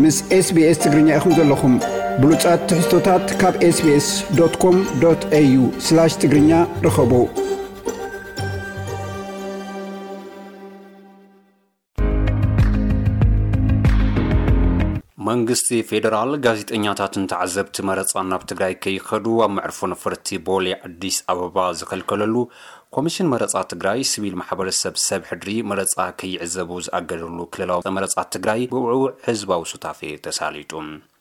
ምስ SBS ትግርኛ ኢኹም ዘለኹም። ብሉጻት ትሕዝቶታት ካብ SBS.com.au/ትግርኛ ርኸቡ። መንግስቲ ፌደራል ጋዜጠኛታትን ተዓዘብቲ መረጻን ናብ ትግራይ ከይኸዱ ኣብ መዕርፎ ነፈርቲ ቦሌ ኣዲስ ኣበባ ዝኸልከለሉ፣ ኮሚሽን መረጻ ትግራይ ሲቪል ማሕበረሰብ ሰብ ሕድሪ መረጻ ከይዕዘቡ ዝኣገደሉ ክልላዊ መረጻ ትግራይ ብውዕውዕ ህዝባዊ ሱታፌ ተሳሊጡ።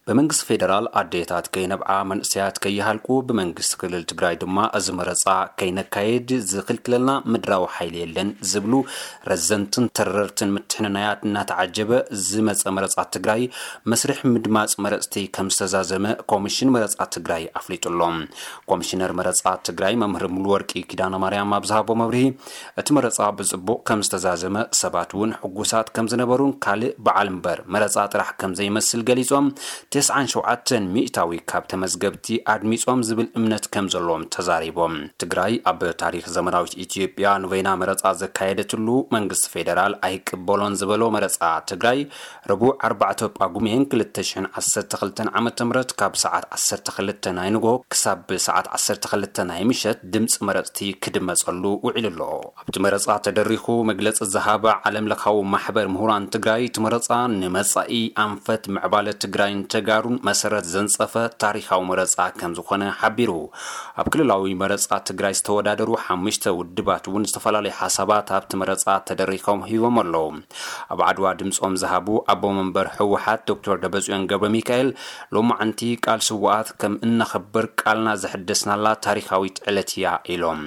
ብመንግስቲ ፌደራል ኣዴታት ከይነብዓ፣ መንእሰያት ከይሃልቁ፣ ብመንግስቲ ክልል ትግራይ ድማ እዚ መረጻ ከይነካየድ ዝኽልክለልና ምድራዊ ሓይሊ የለን ዝብሉ ረዘንትን ተረርትን ምትሕንናያት እናተዓጀበ ዝመጸ መረጻ ትግራይ መስርሕ ምድማጽ መረጽቲ ከም ዝተዛዘመ ኮሚሽን መረጻ ትግራይ ኣፍሊጡ ኣሎ። ኮሚሽነር መረጻ ትግራይ መምህር ሙሉወርቂ ኪዳነ ማርያም ኣብ ዝሃቦ መብርሂ፣ እቲ መረጻ ብጽቡቕ ከም ዝተዛዘመ፣ ሰባት እውን ሕጉሳት ከም ዝነበሩን ካልእ በዓል እምበር መረጻ ጥራሕ ከም ዘይመስል ገሊጾም፣ ተስዓን ሸውዓተን ሚእታዊ ካብ ተመዝገብቲ ኣድሚጾም ዝብል እምነት ከም ዘለዎም ተዛሪቦም። ትግራይ ኣብ ታሪኽ ዘመናዊት ኢትዮጵያ ንበይና መረጻ ዘካየደትሉ መንግስቲ ፌደራል ኣይቅበሎን ዝበሎ መረጻ ትግራይ፣ ረቡዕ ኣርባዕተ ጳጉሜን ክልተ ሽሕን ዓሰርተ ክልተን ዓመተ ምህረት ካብ ሰዓት ዓሰርተ ክልተ ናይ ንግሆ ክሳብ ሰዓት ዓሰርተ ክልተ ናይ ምሸት ድምፂ መረፅቲ ክድመፀሉ ውዒሉ ኣሎ። ኣብቲ መረፃ ተደሪኹ መግለፂ ዝሃበ ዓለም ለኻዊ ማሕበር ምሁራን ትግራይ፣ እቲ መረፃ ንመፃኢ ኣንፈት ምዕባለ ትግራይን ተጋሩን መሰረት ዘንፀፈ ታሪኻዊ መረፃ ከም ዝኾነ ሓቢሩ። ኣብ ክልላዊ መረፃ ትግራይ ዝተወዳደሩ ሓሙሽተ ውድባት እውን ዝተፈላለዩ ሓሳባት ኣብቲ መረፃ ተደሪኾም ሂቦም ኣለዉ። ኣብ ዓድዋ ድምፆም ዝሃቡ ኣቦ መንበር ህወሓት ዶክተር ደብረፅዮን ገብረ ሚካኤል፣ ሎማዓንቲ ቃል ስውኣት ከም እነኽብር ቃልና ዘሐደስናላ ታሪኻዊት ዕለት እያ ኢሎም።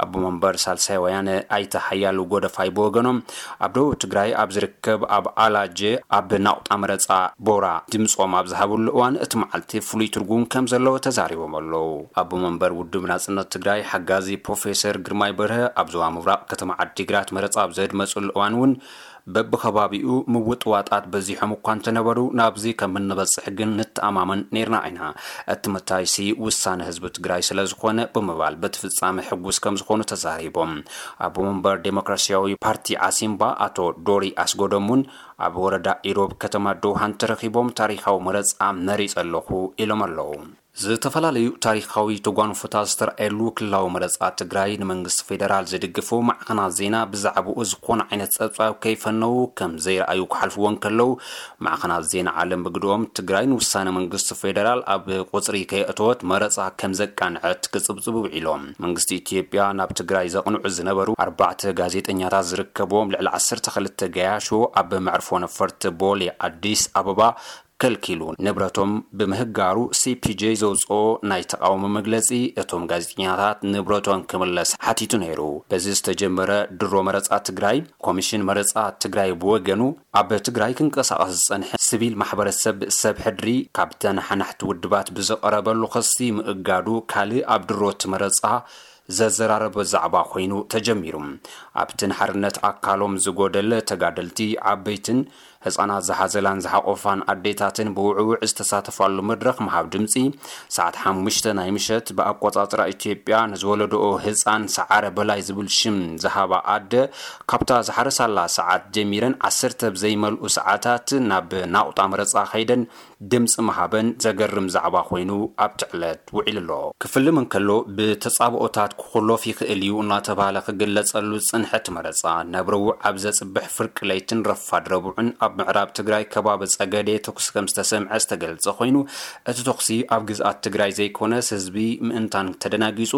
ኣቦ መንበር ሳልሳይ ወያነ ኣይተ ሓያሉ ጎደፋይ ብወገኖም፣ ኣብ ደቡብ ትግራይ ኣብ ዝርከብ ኣብ ኣላጀ ኣብ ናቑጣ መረፃ ቦራ ድምፆም ኣብ ዝሃብሉ እዋን፣ እቲ መዓልቲ ፍሉይ ትርጉም ከም ዘለዎ ተዛሪቦም ኣለዉ። ኣቦ መንበር ውድብ ናፅነት ትግራይ ሓጋዚ ፕሮፌሰር ግርማይ በርሀ፣ ኣብ ዞባ ምብራቕ ከተማ ዓዲግራት መረፃ ኣብ ዘድመፅሉ እዋን እውን፣ በብኸባቢኡ ምውጥዋጣት በዚሖም እኳ እንተነበሩ፣ ናብዚ ከም እንበፅሕ ግን ንተኣማመን ነይርና ኢና። እቲ መታይሲ ውሳነ ህዝቢ ትግራይ ስለ ዝኾነ ብምባል፣ በቲ ፍጻመ ሕጉስ ከም ዝኾኑ ተዛሪቦም። ኣቦ መንበር ዴሞክራሲያዊ ፓርቲ ዓሲምባ ኣቶ ዶሪ ኣስጎዶም እውን ኣብ ወረዳ ኢሮብ ከተማ ደውሃን ተረኺቦም፣ ታሪኻዊ መረፃ መሪፀ ኣለኹ ኢሎም ኣለዉ። ዝተፈላለዩ ታሪኻዊ ተጓንፎታት ዝተረኣየሉ ክልላዊ መረፃ ትግራይ፣ ንመንግስቲ ፌደራል ዝድግፉ ማዕኸናት ዜና ብዛዕባኡ ዝኾነ ዓይነት ጸብጻብ ከይፈነዉ ከም ዘይረኣዩ ክሓልፍዎ እንከለዉ፣ ማዕኸናት ዜና ዓለም ብግድኦም፣ ትግራይ ንውሳነ መንግስቲ ፌደራል ኣብ ቁጽሪ ከየእተወት መረፃ ከም ዘቃንዐት ክጽብጽቡ ውዒሎም። መንግስቲ ኢትዮጵያ ናብ ትግራይ ዘቕንዑ ዝነበሩ ኣርባዕተ ጋዜጠኛታት ዝርከብዎም ልዕሊ ዓሰርተ ክልተ ገያሾ ኣብ መዕርፎ ነፈርቲ ቦሌ ኣዲስ ኣበባ ከልኪሉ ንብረቶም ብምህጋሩ፣ ሲ ፒ ጄ ዘውፅኦ ናይ ተቓውሞ መግለፂ፣ እቶም ጋዜጠኛታት ንብረቶም ክምለስ ሓቲቱ ነይሩ። በዚ ዝተጀመረ ድሮ መረፃ ትግራይ፣ ኮሚሽን መረፃ ትግራይ ብወገኑ፣ ኣብ ትግራይ ክንቀሳቐስ ዝፀንሐ ሲቪል ማሕበረሰብ ሰብ ሕድሪ ካብ ተነሓናሕቲ ውድባት ብዝቐረበሉ ክሲ ምእጋዱ ካልእ ኣብ ድሮ እቲ መረፃ ዘዘራረበ ዛዕባ ኮይኑ ተጀሚሩ። ኣብቲ ንሓርነት ኣካሎም ዝጎደለ ተጋደልቲ፣ ዓበይትን ህፃናት ዝሓዘላን ዝሓቆፋን ኣዴታትን ብውዕውዕ ዝተሳተፋሉ መድረኽ ምሃብ ድምፂ፣ ሰዓት ሓሙሽተ ናይ ምሸት ብኣቆፃፅራ ኢትዮጵያ፣ ንዝወለደኦ ህፃን ሰዓረ በላይ ዝብል ሽም ዝሃባ ኣደ፣ ካብታ ዝሓረሳላ ሰዓት ጀሚረን ዓሰርተ ብዘይመልኡ ሰዓታት ናብ ናቑጣ መረፃ ከይደን ድምፂ ምሃበን ዘገርም ዛዕባ ኮይኑ ኣብቲ ዕለት ውዒሉ ኣሎ። ክፍልም እንከሎ፣ ብተጻብኦታት ክኹሎፍ ይኽእል እዩ እናተባህለ ክግለጸሉ ዝጸንሐ እቲ መረጻ፣ ናብ ረቡዕ ኣብ ዘጽብሕ ፍርቂ ለይትን ረፋድ ረቡዕን ኣብ ምዕራብ ትግራይ ከባቢ ጸገዴ ተኩሲ ከም ዝተሰምዐ ዝተገልጸ ኮይኑ፣ እቲ ተኩሲ ኣብ ግዝኣት ትግራይ ዘይኮነስ ህዝቢ ምእንታን ተደናጊጹ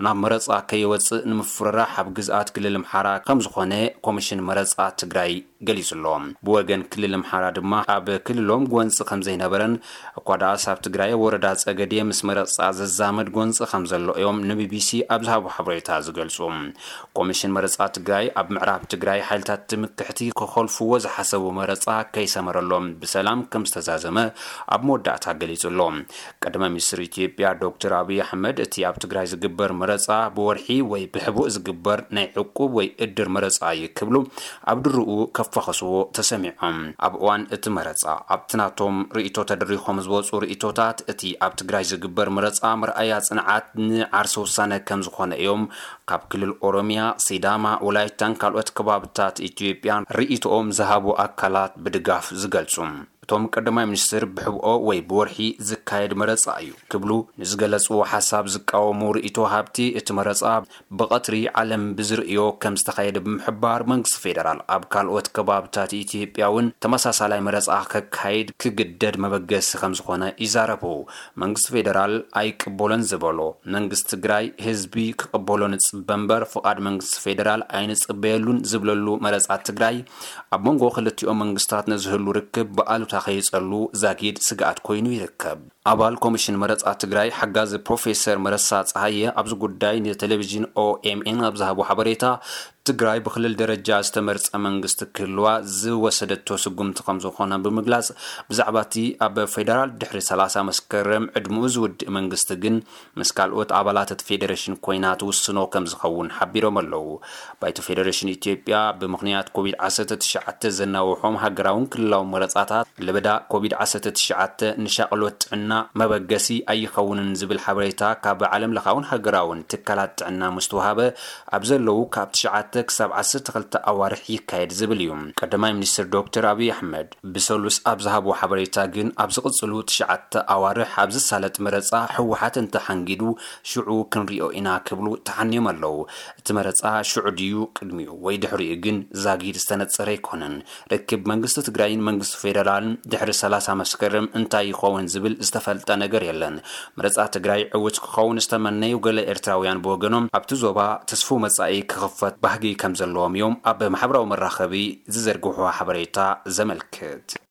ናብ መረጻ ከይወጽእ ንምፍርራሕ ኣብ ግዝኣት ክልል ኣምሓራ ከም ዝኾነ ኮሚሽን መረጻ ትግራይ ገሊጹ ኣሎ። ብወገን ክልል ኣምሓራ ድማ ኣብ ክልሎም ጎንጺ ከም ዘይነበረን፣ እኳ ደኣስ ኣብ ትግራይ ወረዳ ጸገዴ ምስ መረጻ ዘዛመድ ጎንጺ ከም ዘሎ እዮም ንቢቢሲ ኣብ ዝሃቦ ሓበሬታ ዝገልጹ። ኮሚሽን መረጻ ትግራይ ኣብ ምዕራብ ትግራይ ሓይልታት ትምክሕቲ ክኾልፍዎ ዝሓሰቡ መረጻ ከይሰመረሎም ብሰላም ከም ዝተዛዘመ ኣብ መወዳእታ ገሊጹ ኣሎ። ቀዳማይ ሚኒስትር ኢትዮጵያ ዶክተር ኣብይ ኣሕመድ፣ እቲ ኣብ ትግራይ ዝግበር መረጻ ብወርሒ ወይ ብሕቡእ ዝግበር ናይ ዕቁብ ወይ እድር መረጻ እዩ ክብሉ ኣብ ድርኡ ከፋኸስዎ ተሰሚዖም። ኣብ እዋን እቲ መረጻ፣ ኣብቲ ናቶም ርእይቶ ተደሪኾም ዝወጹ ርእይቶታት፣ እቲ ኣብ ትግራይ ዝግበር መረጻ መርኣያ ጽንዓት ንዓርሰ ውሳነ ከም ዝኾነ እዮም ካብ ክልል ኦሮሚያ፣ ሲዳማ፣ ወላይታን ካልኦት ከባብታት ኢትዮጵያን ርእይቶኦም ዝሃቡ ኣካላት ብድጋፍ ዝገልጹ። እቶም ቀዳማይ ሚኒስትር ብሕብኦ ወይ ብወርሒ ዝካየድ መረፃ እዩ ክብሉ ንዝገለፅዎ ሓሳብ ዝቃወሙ ርእይቶ ሃብቲ፣ እቲ መረፃ ብቐትሪ ዓለም ብዝርእዮ ከም ዝተኻየደ ብምሕባር፣ መንግስቲ ፌደራል ኣብ ካልኦት ከባብታት ኢትዮጵያ እውን ተመሳሳላይ መረፃ ከካይድ ክግደድ መበገሲ ከም ዝኾነ ይዛረቡ። መንግስቲ ፌደራል ኣይቅበሎን ዝበሎ፣ መንግስቲ ትግራይ ህዝቢ ክቕበሎ ንፅበ እምበር ፍቓድ መንግስቲ ፌደራል ኣይንፅበየሉን ዝብለሉ መረፃ ትግራይ፣ ኣብ መንጎ ክልቲኦም መንግስታት ንዝህሉ ርክብ ብኣሉታ ከይፀሉ ዛጊድ ስግኣት ኮይኑ ይርከብ። ኣባል ኮሚሽን መረፃ ትግራይ ሓጋዚ ፕሮፌሰር መረሳ ፀሃየ ኣብዚ ጉዳይ ንቴሌቪዥን ኦኤምኤን ኣብ ዝሃቦ ሓበሬታ፣ ትግራይ ብክልል ደረጃ ዝተመርፀ መንግስቲ ክህልዋ ዝወሰደቶ ስጉምቲ ከም ዝኾነ ብምግላፅ፣ ብዛዕባ እቲ ኣብ ፌደራል ድሕሪ ሰላሳ መስከረም ዕድመኡ ዝውድእ መንግስቲ ግን ምስ ካልኦት ኣባላት እቲ ፌደሬሽን ኮይና ትውስኖ ከም ዝኸውን ሓቢሮም ኣለዉ። ባይቶ ፌደሬሽን ኢትዮጵያ ብምኽንያት ኮቪድ ዓሰርተ ትሽዓተ ዘናውሖም ሃገራውን ክልላውን መረፃታት፣ ለበዳ ኮቪድ ዓሰርተ ትሽዓተ ንሻቕሎት ጥዕና መበገሲ ኣይኸውንን ዝብል ሓበሬታ ካብ ዓለም ለኻውን ሃገራውን ትካላት ጥዕና ምስተውሃበ፣ ኣብ ዘለዉ ካብ ትሽዓተ ክሳብ ዓሰርተ ክልተ ኣዋርሕ ይካየድ ዝብል እዩ። ቀዳማይ ሚኒስትር ዶክተር ኣብይ ኣሕመድ ብሰሉስ ኣብ ዝሃብዎ ሓበሬታ ግን፣ ኣብ ዝቕፅሉ ትሽዓተ ኣዋርሕ ኣብ ዝሳለጥ መረፃ ህወሓት እንተሓንጊዱ ሽዑ ክንሪኦ ኢና ክብሉ ተሓንዮም ኣለዉ። እቲ መረፃ ሽዑ ድዩ ቅድሚኡ ወይ ድሕሪኡ ግን ዛጊድ ዝተነፀረ ኣይኮነን። ርክብ መንግስቲ ትግራይን መንግስቲ ፌደራልን ድሕሪ ሰላሳ መስከረም እንታይ ይኸውን ዝብል ዝተፈልጠ ነገር የለን። መረፃ ትግራይ ዕውት ክኸውን ዝተመነዩ ገለ ኤርትራውያን ብወገኖም፣ ኣብቲ ዞባ ተስፉ መጻኢ ክኽፈት ባህጊ ከም ዘለዎም እዮም ኣብ ማሕበራዊ መራኸቢ ዝዘርግሑ ሓበሬታ ዘመልክት።